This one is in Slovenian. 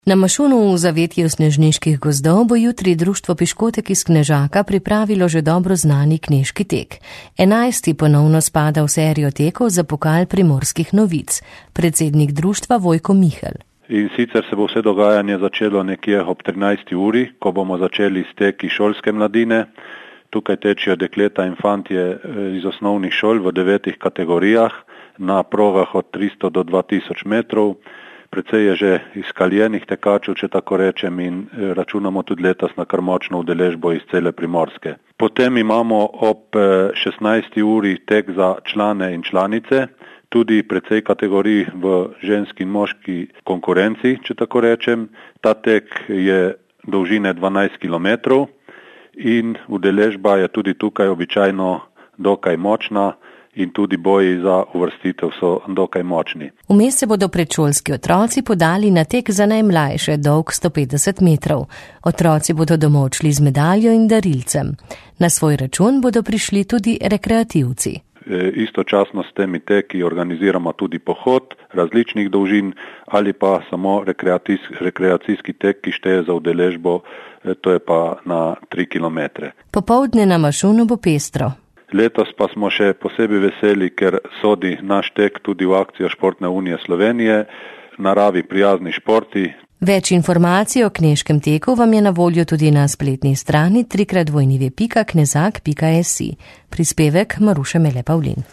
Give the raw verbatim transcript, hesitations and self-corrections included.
Na Mašunu v zavetju snežniških gozdov bo jutri društvo Piškotek iz Knežaka pripravilo že dobro znani knežki tek. Enajsti ponovno spada v serijo tekov za pokal Primorskih novic. Predsednik društva Vojko Mihelj. In sicer se bo vse dogajanje začelo nekje ob trinajsti uri, ko bomo začeli s teki šolske mladine. Tukaj tečijo dekleta in fantje iz osnovnih šol v devetih kategorijah na progah od tristo do dva tisoč metrov. Precej je že izkaljenih tekačev, če tako rečem, in računamo tudi letos na kar močno udeležbo iz cele Primorske. Potem imamo ob šestnajsti uri tek za člane in članice, tudi precej kategorij v ženski in moški konkurenci, če tako rečem. Ta tek je dolžine dvanajst kilometrov in udeležba je tudi tukaj običajno dokaj močna. In tudi boji za uvrstitev so dokaj močni. Vmes se bodo predšolski otroci podali na tek za najmlajše, dolg sto petdeset metrov. Otroci bodo domov odšli z medaljo in darilcem. Na svoj račun bodo prišli tudi rekreativci. E, istočasno s temi teki organiziramo tudi pohod različnih dolžin ali pa samo rekreacijski, rekreacijski tek, ki šteje za udeležbo, e, to je pa na tri kilometre. Popoldne na Mašunu bo pestro. Letos pa smo še posebej veseli, ker sodi naš tek tudi v akcijo Športne unije Slovenije, naravi prijazni športi. Več informacij o knežkem teku vam je na voljo tudi na spletni strani tri krat dvojni ve pika knezak pika si. Prispevek Maruše Mele Pavlin.